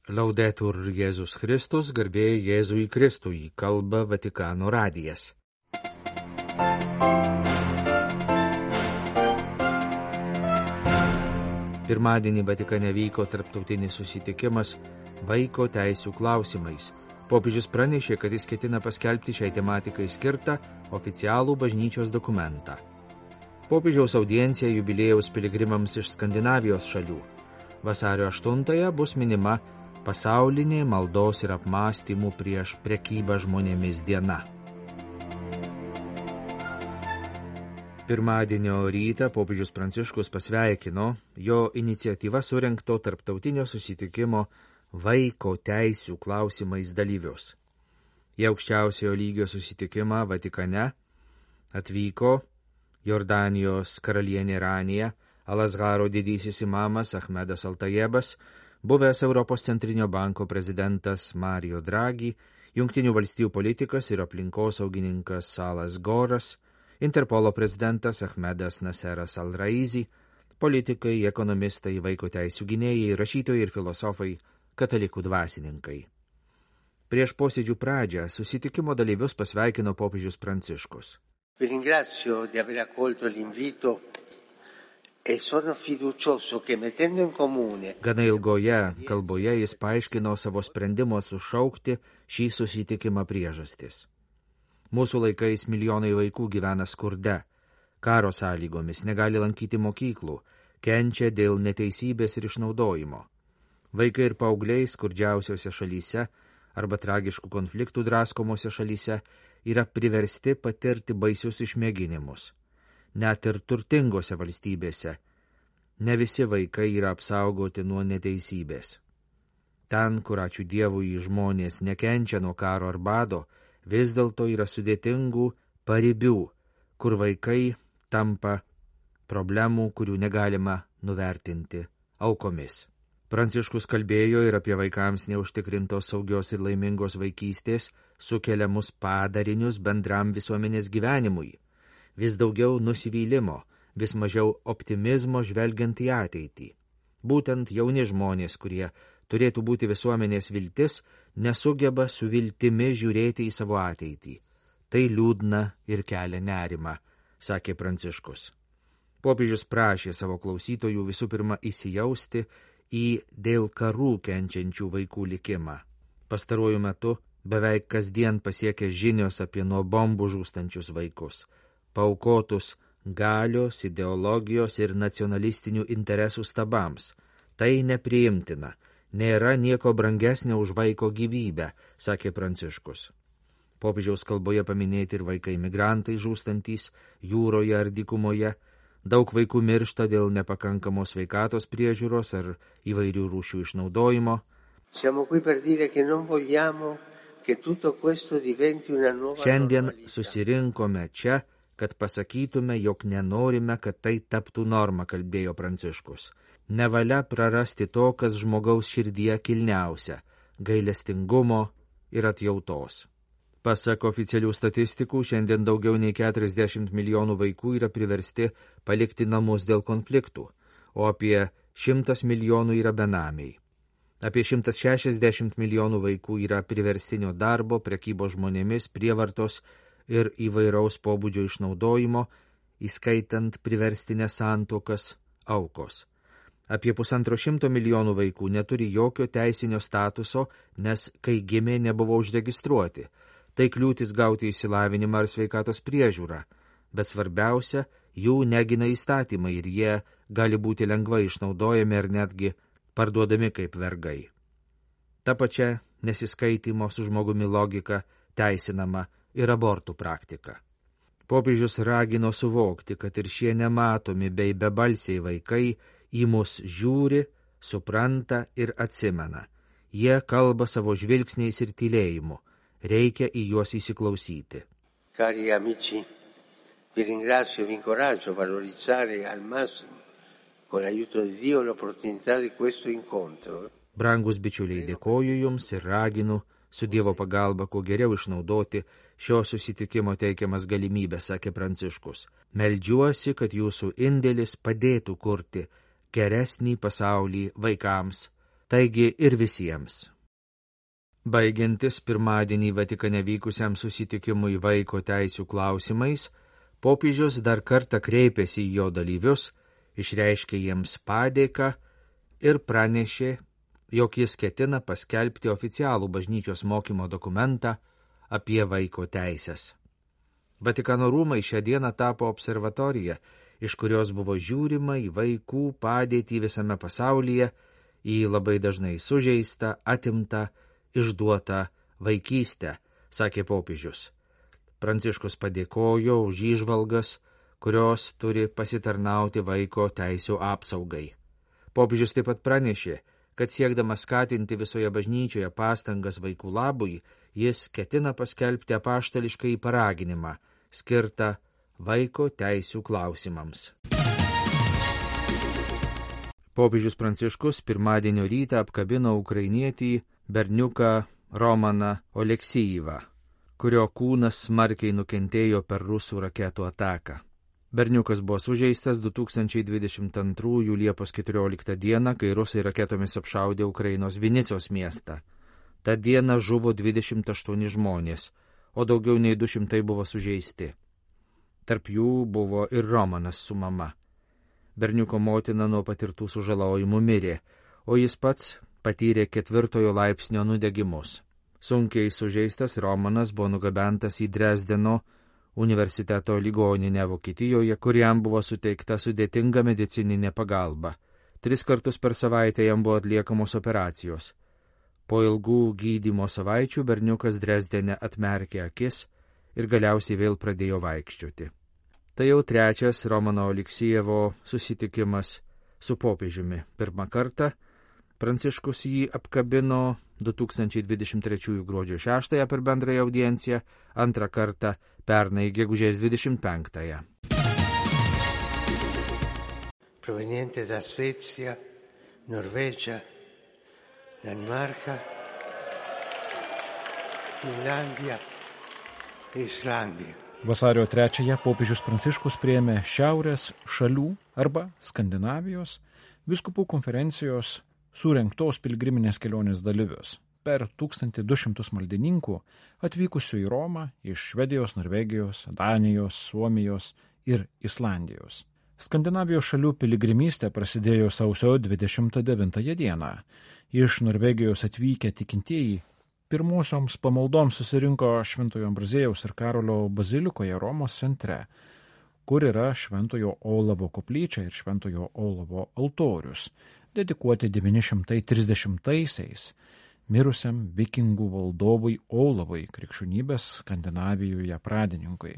Laudetur Jėzus Kristus, garbė Jėzui Kristui, kalba Vatikano radijas. Pirmadienį Vatikane vyko tarptautinis susitikimas vaiko teisių klausimais. Popiežius pranešė, kad jis ketina paskelbti šiai tematikai skirtą oficialų bažnyčios dokumentą. Popiežiaus audiencija jubiliejaus piligrimams iš Skandinavijos šalių. Vasario 8 bus minima pasaulinė maldos ir apmąstymų prieš prekybą žmonėmis diena. Pirmadienio rytą popiežius Pranciškus pasveikino jo iniciatyva surengto tarptautinio susitikimo vaiko teisių klausimais dalyvius. Į aukščiausiojo lygio susitikimą Vatikane atvyko Jordanijos karalienė Ranija, Al-Azharo didysis imamas Ahmedas Altajebas, buvęs Europos centrinio banko prezidentas Mario Draghi, Jungtinių valstijų politikas ir aplinkosaugininkas Salas Goras, Interpolo prezidentas Ahmedas Naseras Al-Raizi, politikai, ekonomistai, vaiko teisių gynėjai, rašytojai ir filosofai, katalikų dvasininkai. Prieš posėdžių pradžią susitikimo dalyvius pasveikino popiežius Pranciškus. Vi ringrazio di aver accolto l'invito e sono fiducioso che mettendo in comune. Gana ilgoje kalboje jis paaiškino savo sprendimo sušaukti šį susitikimą priežastis. Mūsų laikais milijonai vaikų gyvena skurde, karo sąlygomis, negali lankyti mokyklų, kenčia dėl neteisybės ir išnaudojimo. Vaikai ir paaugliai skurdžiausiose šalyse arba tragiškų konfliktų draskomose šalyse yra priversti patirti baisius išmėginimus. Net ir turtingose valstybėse ne visi vaikai yra apsaugoti nuo neteisybės. Ten, kur ačiū Dievui žmonės nekenčia nuo karo ar bado, vis dėlto yra sudėtingų paribių, kur vaikai tampa problemų, kurių negalima nuvertinti aukomis. Pranciškus kalbėjo ir apie vaikams neužtikrintos saugios ir laimingos vaikystės sukeliamus padarinius bendram visuomenės gyvenimui. Vis daugiau nusivylimo, vis mažiau optimizmo žvelgiant į ateitį. Būtent jauni žmonės, kurie turėtų būti visuomenės viltis, nesugeba su viltimi žiūrėti į savo ateitį. Tai liūdna ir kelia nerimą, sakė Pranciškus. Popiežius prašė savo klausytojų visų pirma įsijausti į dėl karų kenčiančių vaikų likimą. Pastaruoju metu beveik kasdien pasiekia žinios apie nuo bombų žūstančius vaikus, paaukotus galios, ideologijos ir nacionalistinių interesų stabams. Tai nepriimtina, nėra nieko brangesnio už vaiko gyvybę, sakė Pranciškus. Popiežiaus kalboje paminėti ir vaikai migrantai žūstantys jūroje ar dykumoje, daug vaikų miršta dėl nepakankamos sveikatos priežiūros ar įvairių rūšių išnaudojimo. Šiandien susirinkome čia, kad pasakytume, jog nenorime, kad tai taptų norma, kalbėjo Pranciškus. Nevalia prarasti to, kas žmogaus širdyje kilniausia – gailestingumo ir atjautos. Pasak oficialių statistikų, šiandien daugiau nei 40 milijonų vaikų yra priversti palikti namus dėl konfliktų, o apie 100 milijonų yra benamiai. Apie 160 milijonų vaikų yra priverstinio darbo, prekybos žmonėmis, prievartos ir įvairaus pobūdžio išnaudojimo, įskaitant priverstinės santuokas, aukos. Apie 150 milijonų vaikų neturi jokio teisinio statuso, nes kai gimė nebuvo užregistruoti. Tai kliūtis gauti išsilavinimą ar sveikatos priežiūrą, bet svarbiausia, jų negina įstatymai ir jie gali būti lengvai išnaudojami ar netgi parduodami kaip vergai. Ta pačia nesiskaitimo su žmogumi logika teisinama ir abortų praktika. Popiežius ragino suvokti, kad ir šie nematomi bei bebalsiai vaikai į mus žiūri, supranta ir atsimena. Jie kalba savo žvilgsniais ir tylėjimu. Reikia į juos įsiklausyti. Cari amici, vi ringrazio e vi incoraggio a valorizzare al massimo, con l'aiuto di Dio, l'opportunità di questo incontro. Brangus bičiuliai, dėkoju jums ir raginu su Dievo pagalba kuo geriau išnaudoti šio susitikimo teikiamas galimybės, sakė Pranciškus. Meldžiuosi, kad jūsų indėlis padėtų kurti geresnį pasaulį vaikams, taigi ir visiems. Baigiantis pirmadienį Vatikane vykusiam susitikimui vaiko teisių klausimais, popiežius dar kartą kreipėsi į jo dalyvius, išreiškė jiems padėką ir pranešė, jog jis ketina paskelbti oficialų bažnyčios mokymo dokumentą apie vaiko teisės. Vatikano rūmai šią dieną tapo observatorija, iš kurios buvo žiūrima į vaikų padėtį visame pasaulyje, į labai dažnai sužeistą, atimtą, išduotą vaikystę, sakė popiežius. Pranciškus padėkojo už įžvalgas, kurios turi pasitarnauti vaiko teisių apsaugai. Popiežius taip pat pranešė, kad siekdamas skatinti visoje bažnyčioje pastangas vaikų labui, jis ketina paskelbti apaštališkąjį paraginimą, skirtą vaiko teisių klausimams. Popiežius Pranciškus pirmadienio rytą apkabino ukrainietį berniuką Romaną Oleksijevą, kurio kūnas smarkiai nukentėjo per rusų raketų ataką. Berniukas buvo sužeistas 2022 Liepos 14 dieną, kai rusai raketomis apšaudė Ukrainos Vinicos miestą. Ta diena žuvo 28 žmonės, o daugiau nei 200 buvo sužeisti. Tarp jų buvo ir Romanas su mama. Berniuko motina nuo patirtų sužalojimų mirė, o jis pats patyrė 4 laipsnio nudegimus. Sunkiai sužeistas Romanas buvo nugabentas į Dresdeno universiteto ligoninę Vokietijoje, kuriam buvo suteikta sudėtinga medicininė pagalba. 3 kartus per savaitę jam buvo atliekamos operacijos. Po ilgų gydymo savaičių berniukas Dresdene atmerkė akis ir galiausiai vėl pradėjo vaikščioti. Tai jau 3. Romano Oleksijevo susitikimas su popiežiumi. Pirmą kartą Pranciškus jį apkabino 2023 gruodžio 6 per bendrąją audienciją, antrą kartą pernai gegužės 25. Proveniente da Svezia, Norvegia, Danimarca, Finlandia e Islandija. Vasario 3 popiežius Pranciškus priėmė Šiaurės šalių arba Skandinavijos vyskupų konferencijos surengtos piligriminės kelionės dalyvius. Per 1200 maldininkų atvykusių į Romą iš Švedijos, Norvegijos, Danijos, Suomijos ir Islandijos. Skandinavijos šalių piligrimystė prasidėjo sausio 29 dieną. Iš Norvegijos atvykę tikintieji pirmosioms pamaldoms susirinko Šventojo Ambraziejaus ir Karolio bazilikoje Romos centre, kur yra Šventojo Olavo koplyčia ir Šventojo Olavo altorius, dedikuoti 930-aisiais mirusiam vikingų valdovui Olavui, krikščionybės Skandinavijoje pradininkui.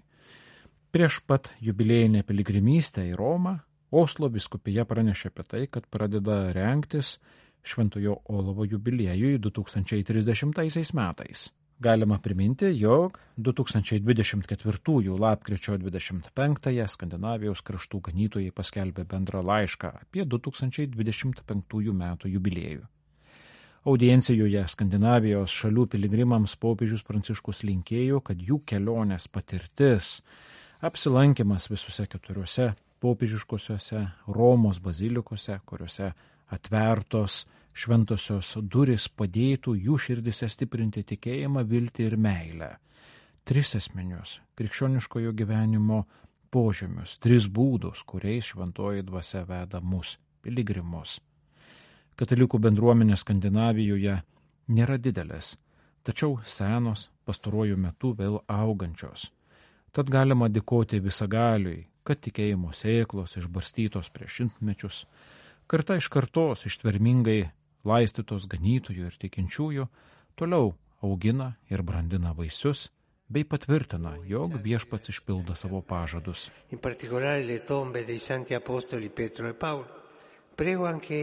Prieš pat jubiliejinę piligrimystę į Romą, Oslo vyskupija pranešė apie tai, kad pradeda rengtis Šventojo Olavo jubiliejui 2030 metais. Galima priminti, jog 2024 lapkričio 25 Skandinavijos kraštų ganytojai paskelbė bendrą laišką apie 2025 metų jubiliejų. Audiencijoje Skandinavijos šalių piligrimams popiežius Pranciškus linkėjo, kad jų kelionės patirtis, apsilankimas visose 4 popiežiškosiuose Romos bazilikose, kuriuose atvertos šventosios durys padėtų jų širdise stiprinti tikėjimą, viltį ir meilę. 3 esminius krikščioniškojo gyvenimo požymius, 3 būdus, kuriais šventoji dvasia veda mus, piligrimus. Katalikų bendruomenė Skandinavijoje nėra didelės, tačiau senos, pastaruoju metu vėl augančios. Tad galima dėkoti visagaliui, kad tikėjimo sėklos išbarstytos prieš šimtmečius, karta iš kartos ištvermingai laistytos ganytojų ir tikinčiųjų, toliau augina ir brandina vaisius, bei patvirtina, jog viešpats išpildo savo pažadus. In particolare le tombe dei santi apostoli Pietro e Paolo. Prego anche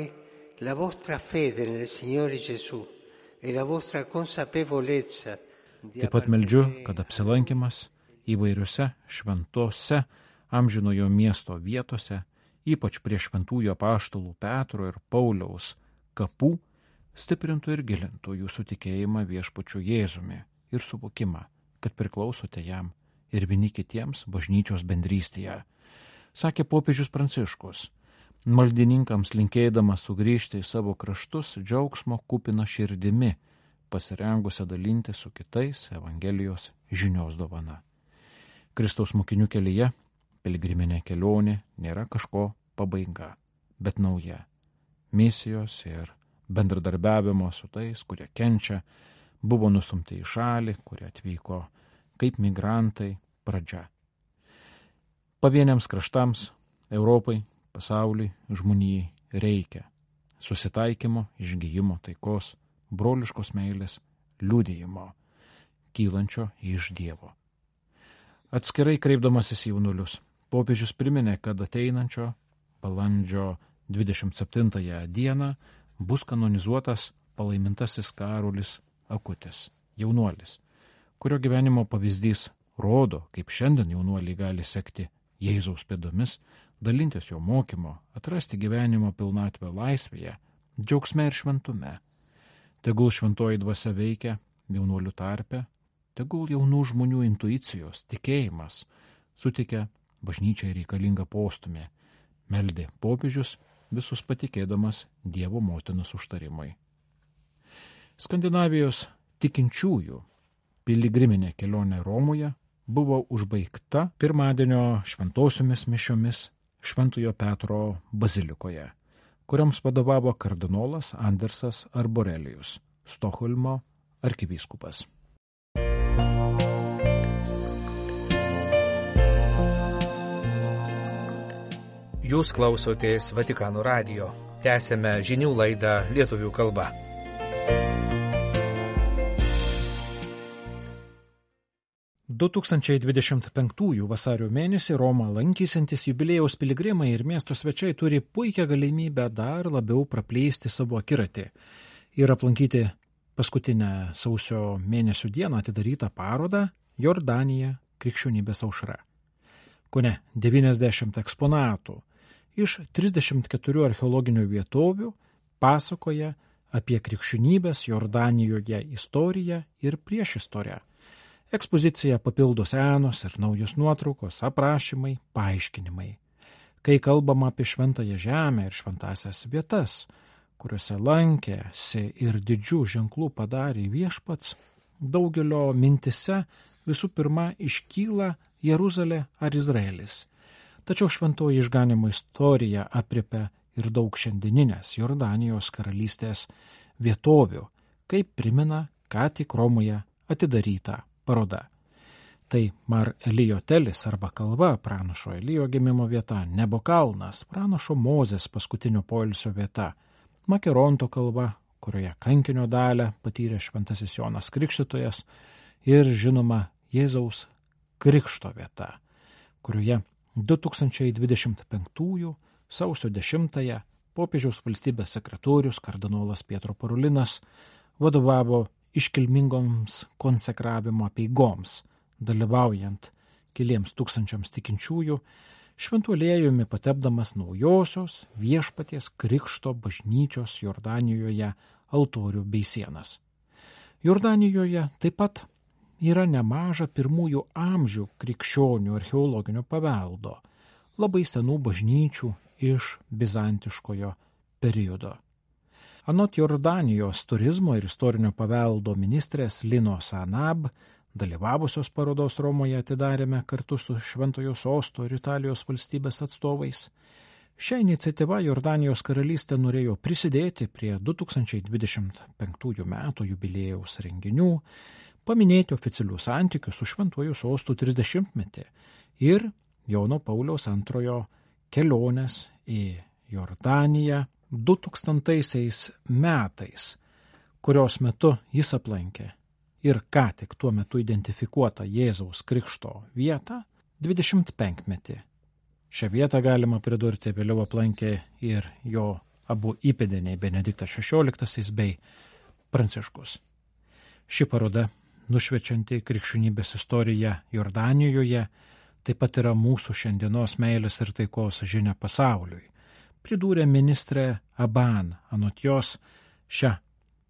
la vostra fede nel Signore Gesù e la vostra consapevolezza. Taip pat meldžiu, kad apsilankimas įvairiuose šventose amžinojo miesto vietose, ypač prie šventųjų apaštalų Petro ir Pauliaus kapų, stiprintų ir gilintų jūsų tikėjimą viešpačiu Jėzumi ir suvokimą, kad priklausote jam ir vieni kitiems bažnyčios bendrystėje, sakė popiežius Pranciškus. maldininkams linkėdamas sugrįžti į savo kraštus džiaugsmo kupina širdimi, pasirengusią dalinti su kitais Evangelijos žinios dovana. Kristaus mokinių kelyje piligriminė kelionė nėra kažko pabaiga, bet nauja. Misijos ir bendradarbiavimo su tais, kurie kenčia, buvo nustumti į šalį, kurie atvyko kaip migrantai, pradžia. Pavieniams kraštams, Europai, pasauliui, žmonijai reikia susitaikymo, išgijimo, taikos, broliškos meilės, liudijimo, kylančio iš Dievo. Atskirai kreipdamasis į jaunulius, popiežius priminė, kad ateinančio balandžio 27 dieną bus kanonizuotas palaimintasis Karolis Akutis, jaunuolis, kurio gyvenimo pavyzdys rodo, kaip šiandien jaunuoliai gali sekti Jėzaus pėdomis, dalintis jo mokymo, atrasti gyvenimo pilnatvę laisvėje, džiaugsme ir šventume. Tegul šventoji dvasia veikia jaunuolių tarpe, tegul jaunų žmonių intuicijos, tikėjimas suteikia bažnyčiai reikalingą postumį, meldė popiežius, visus patikėdamas Dievo motinos užtarimai. Skandinavijos tikinčiųjų piligriminė kelionė Romoje buvo užbaigta pirmadienio šventosiomis mišiomis Šventojo Petro bazilikoje, kuriams vadovavo kardinolas Andersas Arborelijus, Stokholmo arkivyskupas. Jūs klausotės Vatikano radijo. Tęsėme žinių laidą lietuvių kalba. – 2025 vasario mėnesį Romą lankysiantis jubiliejaus piligrimai ir miesto svečiai turi puikią galimybę dar labiau praplėsti savo akiratį ir aplankyti paskutinę sausio mėnesio dieną atidarytą parodą Jordanija krikščionybės aušra. Kone 90 eksponatų iš 34 archeologinių vietovių pasakoja apie krikščionybės Jordanijoje istoriją ir priešistorę. Ekspoziciją papildo senos ir naujos nuotraukos, aprašymai, paaiškinimai. Kai kalbama apie šventąją žemę ir šventąsias vietas, kuriuose lankėsi ir didžių ženklų padarė viešpats, daugelio mintise visų pirma iškyla Jeruzalė ar Izraelis. Tačiau šventoji išganimo istorija aprėpia ir daug šiandieninės Jordanijos karalystės vietovių, kaip primena ką tik Romoje atidaryta paroda. Tai Mar Elijo Telis arba kalva, pranašo Elijo gimimo vieta, Nebo kalnas, pranašo Mozės paskutinio poilsio vieta, Makeronto kalva, kurioje kankinio dalią patyrė šventasis Jonas Krikštytojas, ir žinoma Jėzaus krikšto vieta, kurioje 2025 sausio 10 popiežiaus valstybės sekretorius kardinolas Pietro Parolinas vadovavo iškilmingoms konsekravimo apeigoms, dalyvaujant keliems tūkstančiams tikinčiųjų, šventu aliejumi patepdamas naujosios viešpaties krikšto bažnyčios Jordanijoje altorių bei sienas. Jordanijoje taip pat yra nemaža pirmųjų amžių krikščionių archeologinio paveldo, labai senų bažnyčių iš bizantiškojo periodo. Anot Jordanijos turizmo ir istorinio paveldo ministrės Linos Anab, dalyvavusios parodos Romoje atidarėme kartu su Šventojo Sosto ir Italijos valstybės atstovais. Šią iniciatyvą Jordanijos karalystė norėjo prisidėti prie 2025 metų jubiliejaus renginių, paminėti oficialių santykių su Šventuoju Sostu 30-metį ir Jono Pauliaus II kelionės į Jordaniją 2000 metais, kurios metu jis aplankė ir ką tik tuo metu identifikuotą Jėzaus krikšto vietą 25-metį. Šią vietą galima pridurti vėliau aplankė ir jo abu įpėdiniai Benediktas XVI bei Pranciškus. Ši paroda, nušviečianti krikščionybės istoriją Jordanijoje, taip pat yra mūsų šiandienos meilės ir taikos žinia pasauliui. Pridūrė ministrė Aban, anot jos šią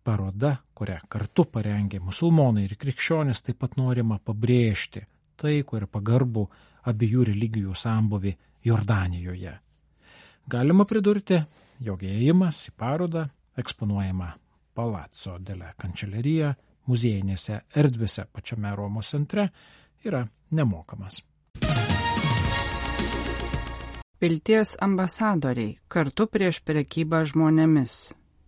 parodą, kurią kartu parengė musulmonai ir krikščionys, taip pat norima pabrėžti taikų ir pagarbų abiejų religijų sambūvį Jordanijoje. Galima pridurti, jog įėjimas į parodą eksponuojama Palazzo della Cancelleria muziejinėse erdvėse pačiame Romos centre yra nemokamas. Vilties ambasadoriai kartu prieš prekybą žmonėmis.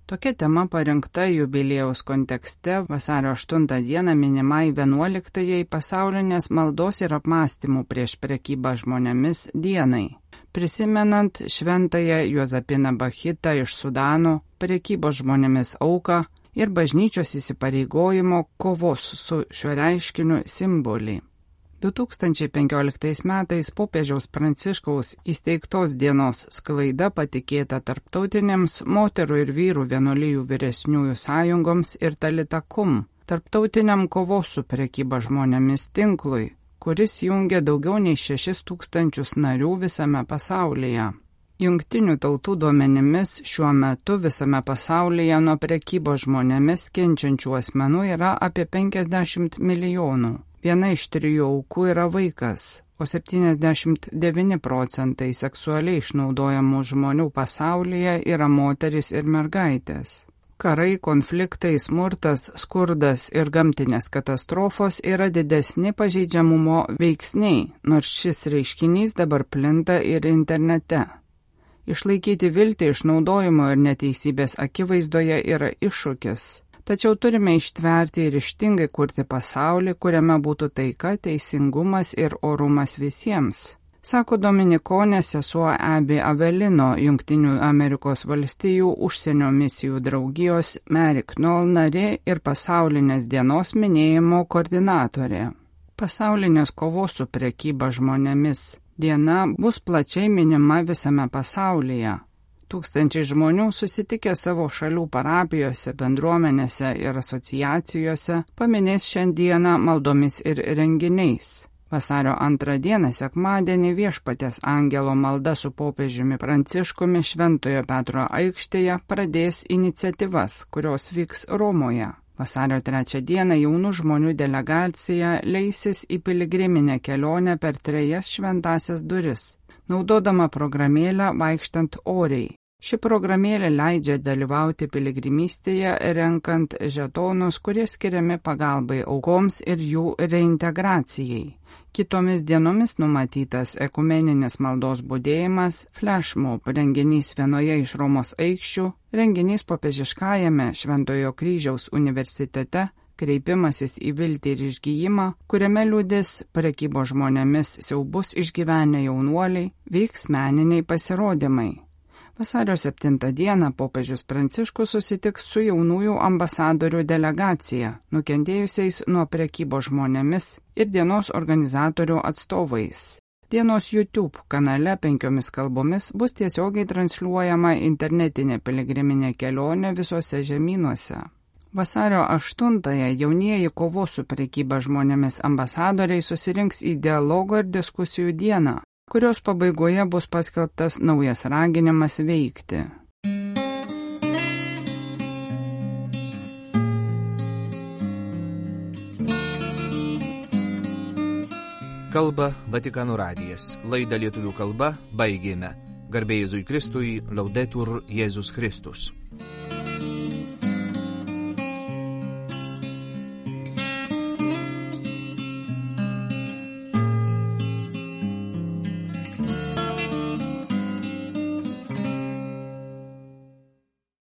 Tokia tema parinkta jubiliejaus kontekste vasario 8 dieną minimai 11-ąjai pasaulinės maldos ir apmąstymų prieš prekybą žmonėmis dienai, prisimenant šventąją Juozapiną Bachitą iš Sudano, prekybos žmonėmis auką ir bažnyčios įsipareigojimo kovos su šiuo reiškiniu simbolį. 2015 metais popiežiaus Pranciškaus įsteigtos dienos sklaida patikėta tarptautinėms moterų ir vyrų vienuolijų vyresniųjų sąjungoms ir Talitakum, tarptautiniam kovos su prekyba žmonėmis tinklui, kuris jungia daugiau nei 6,000 narių visame pasaulyje. Jungtinių tautų duomenimis šiuo metu visame pasaulyje nuo prekybos žmonėmis kenčiančių asmenų yra apie 50 milijonų. Viena iš 3 aukų yra vaikas, o 79% seksualiai išnaudojamų žmonių pasaulyje yra moterys ir mergaitės. Karai, konfliktai, smurtas, skurdas ir gamtinės katastrofos yra didesni pažeidžiamumo veiksniai, nors šis reiškinys dabar plinta ir internete. Išlaikyti viltį išnaudojimo ir neteisybės akivaizdoje yra iššūkis. Tačiau turime ištverti ir ryžtingai kurti pasaulį, kuriame būtų taika, teisingumas ir orumas visiems, sako dominikonė sesuo Abby Avelino, Jungtinių Amerikos valstijų užsienio misijų draugijos Mary Knoll narė ir pasaulinės dienos minėjimo koordinatorė. Pasaulinės kovos su prekyba žmonėmis diena bus plačiai minima visame pasaulyje. Tūkstančiai žmonių susitikę savo šalių parapijose, bendruomenėse ir asociacijose paminės šiandieną maldomis ir renginiais. Vasario 2 dieną sekmadienį Viešpaties angelo malda su popiežiumi Pranciškumi Šventojo Petro aikštėje pradės iniciatyvas, kurios vyks Romoje. Vasario 3 dieną jaunų žmonių delegacija leisis į piligriminę kelionę per 3 šventąsias duris, naudodama programėlę vaikštant oriai. Ši programėlė leidžia dalyvauti piligrimystėje, renkant žetonus, kurie skiriami pagalbai aukoms ir jų reintegracijai. Kitomis dienomis numatytas ekumeninis maldos budėjimas, flashmob renginys vienoje iš Romos aikščių, renginys popiežiškajame Šventojo Kryžiaus universitete, kreipimasis į viltį ir išgijimą, kuriame liudys prekybos žmonėmis siaubus išgyvenę jaunuoliai, vyks meniniai pasirodymai. Vasario 7 dieną popiežius Pranciškus susitiks su jaunųjų ambasadorių delegacija, nukentėjusiais nuo prekybos žmonėmis ir dienos organizatorių atstovais. Dienos YouTube kanale 5 kalbomis bus tiesiogiai transliuojama internetinė piligriminė kelionė visuose žemynuose. Vasario 8-ąją jaunieji kovos su prekyba žmonėmis ambasadoriai susirinks į dialogo ir diskusijų dieną, kurios pabaigoje bus paskelbtas naujas raginimas veikti. Kalba Vatikano radijas. Laidą lietuvių kalba baigėme. Garbė Jėzui Kristui, Laudetur Jėzus Kristus.